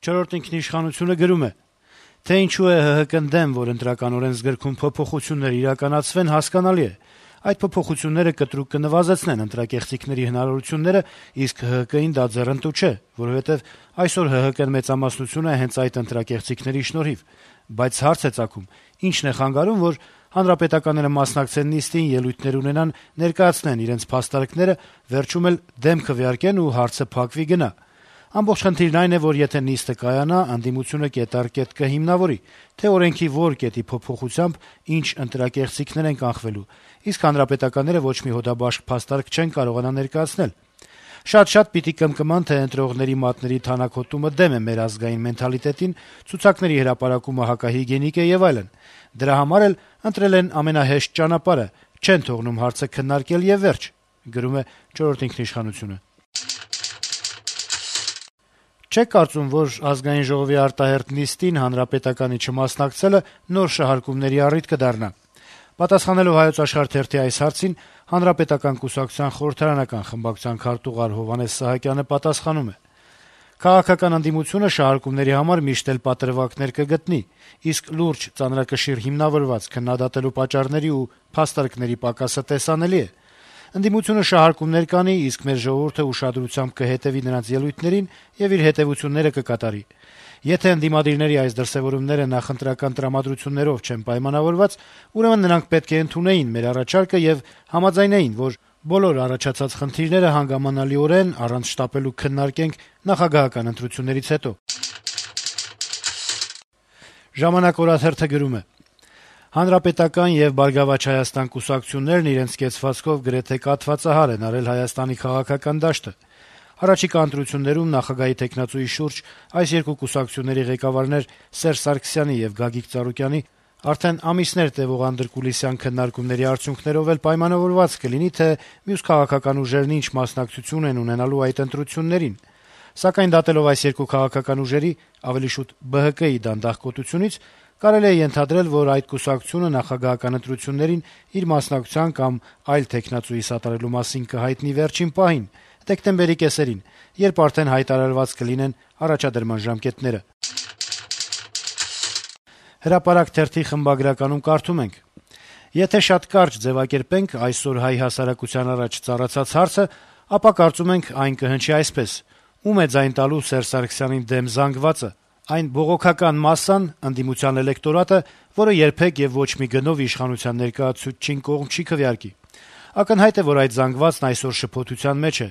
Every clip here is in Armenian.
Չորրորդ ինքնիշխանությունը գրում է. - «Թե ինչու է ՀՀԿ-ն դեմ, որ ընտրական օրենսգրքում փոփոխություններ իրականացվեն, հասկանալի է: Այդ փոփոխությունները կտրուկ կնվազեցնեն ընտրակեղծիքների հնարավորությունները, իսկ ՀՀԿ-ին դա ձեռնտու չէ, որովհետեւ այսօր ՀՀԿ-ն մեծամասնություն է հենց այդ ընտրակեղծիքների շնորհիվ: Բայց հարց է ծագում. ի՞նչն է խանգարում, որ հանրապետականները մասնակցեն նիստին, ելույթներ ունենան, ներկայացնեն իրենց փաստարկները, վերջում էլ դեմ քվեարկեն ու հարցը փակվի գնա: Ամբողջ խնդիրն այն է, որ եթե նիստը կայանա, ընդդիմությունը կետ առ կետ կհիմնավորի, թե օրենքի որ կետի փոփոխությամբ ինչ ընտրակեղծիքներ են կանխվելու, իսկ հանրապետականները ոչ մի հոդաբաշխ փաստարկ չեն կարողանա ներկայացնել: Շատ-շատ պիտի կմկման, թե ընտրողների մատների թանաքոտումը դեմ է մեր ազգային մենթալիտետին, ցուցակների հրապարակումը հակահիգիենիկ է եւ այլն: Դրա համար էլ ընտրել են ամենահեշտ ճանապարհը, չեն թողնում հարցը քննարկել եւ վերջ»: Չեք կարծում, որ Ազգային ժողովի արտահերթ նիստին Հանրապետականի չմասնակցելը նոր շահարկումների առիթ կդառնա: Պատասխանելով «Հայոց Աշխարհ» թերթի այս հարցին Հանրապետական կուսակցության խորհրդարանական խմբակցության քարտուղար Հովհաննես Սահակյանը պատասխանում է. - «Քաղաքական ընդդիմությունը շահարկումների համար միշտ էլ պատրվակներ կգտնի, իսկ լուրջ ծանրակշիռ հիմնավորված քննադատելու պատճառների ու փաստարկների պակասը տեսանելի է: Ընդդիմությունը շահարկումներ կանի, իսկ մեր ժողովուրդը ուշադրությամբ կհետեւի նրանց ելույթներին եւ իր հետեւությունները կկատարի: Եթե ընդդիմադիրների այս դրսեւորումները նախընտրական տրամադրություններով չեն պայմանավորված, ուրեմն նրանք պետք է ընդունեին մեր առաջարկը եւ համաձայնեին, որ բոլոր առաջացած խնդիրները հանգամանալիորեն, առանց շտապելու քննարկենք նախագահական ընտրություններից հետո»: «Ժամանակ» օրաթերթը գրում է. - «Հանրապետական եւ «Բարգավաճ Հայաստան» կուսակցություններն իրենց կեցվածքով գրեթե կաթվածահար են արել Հայաստանի քաղաքական դաշտը: Առաջիկա ընտրություններում նախագահի թեկնածուի շուրջ այս երկու կուսակցությունների ղեկավարներ Սերժ Սարգսյանի եւ Գագիկ Ծառուկյանի արդեն ամիսներ տեւող անդրկուլիսյան քննարկումների արդյունքներով էլ պայմանավորված կլինի, թե մյուս քաղաքական ուժերն ինչ մասնակցություն են ունենալու այդ ընտրություններին: Սակայն դատելով այս երկու քաղաքական ուժերի, ավելի շուտ ԲՀԿ-ի դանդաղկոտությունից, կարելի է ենթադրել, որ այդ կուսակցությունը նախագահական ընտրություններին իր մասնակցության կամ այլ թեկնածուի սատարելու մասին կհայտնի վերջին պահին՝ դեկտեմբերի կեսերին, երբ արդեն հայտարարված կլինեն առաջադրման ժամկետները»: «Հրապարակ» թերթի խմբագրականում կարդում ենք. - «Եթե շատ կարճ ձեւակերպենք այսօր հայ հասարակության առաջ ծառացած հարցը, ապա կարծում ենք այն կհնչի այսպես. ում է ձայն տալու Սերժ Սարգսյանին դեմ զանգվածը: Այն բողոքական մասսան, ընդդիմության էլեկտորատը, որը երբեք եւ ոչ մի գնով իշխանության ներկայացուցչին կողմ չի քվեարկի: Ակնհայտ է, որ այդ զանգվածն այսօր շփոթության մեջ է: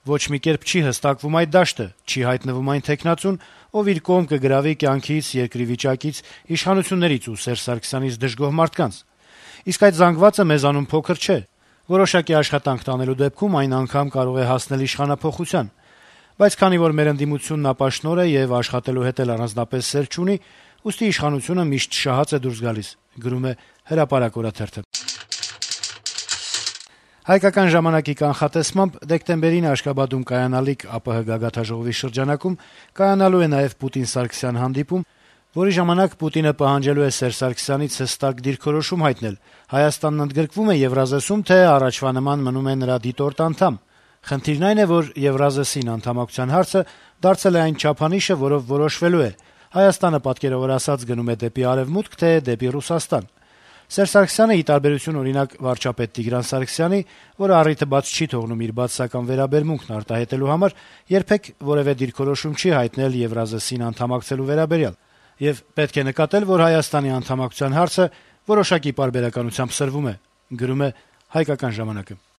Ոչ մի կերպ չի հստակվում այդ դաշտը, չի հայտնվում այն թեկնածուն, ով իր կողմ կգրավի կյանքից, երկրի վիճակից, իշխանություններից ու Սերժ Սարգսյանից դժգոհ մարդկանց: Իսկ այդ զանգվածը մեզանում փոքր չէ: Որոշակի աշխատանք տանելու դեպքում այն անգամ կարող է հասնել իշխանափոխության: Բայց քանի որ մեր ընդդիմությունն ապաշնորհ է եւ աշխատելու հետ էլ առանձնապես սեր չունի, ուստի իշխանությունը միշտ շահած է դուրս գալիս»: «Հայկական ժամանակ»-ի կանխատեսմամբ դեկտեմբերին Աշկաբադում կայանալիք ԱՊՀ գագաթնաժողովի շրջանակում կայանալու է նաեւ Պուտին-Սարգսյան հանդիպում, որի ժամանակ Պուտինը պահանջելու է Սերժ Սարգսյանից հստակ դիրքորոշում հայտնել՝ Հայաստանն ընդգրկվո՞ւմ է Եվրազեսում, թե առաջվա նման մնում է նրա դիտորդ անդամ: Խնդիրն այն է, որ Եվրազեսին անդամակցության հարցը դարձել է այն չափանիշը, որով որոշվելու է՝ Հայաստանը, պատկերավոր ասած, գնում է դեպի Արեւմուտք, թե դեպի Ռուսաստան: Սերժ Սարգսյանը, ի տարբերություն, օրինակ, վարչապետ Տիգրան Սարգսյանի, որը առիթը բաց չի թողնում իր բացասական վերաբերմունքն արտահայտելու համար, երբեք որեւէ դիրքորոշում չի հայտնել Եվրազեսին անդամակցելու վերաբերյալ: Եվ պետք է նկատել, որ Հայաստանի անդամակցության հարցը որոշակի պարբերականությամբ սրվում է»: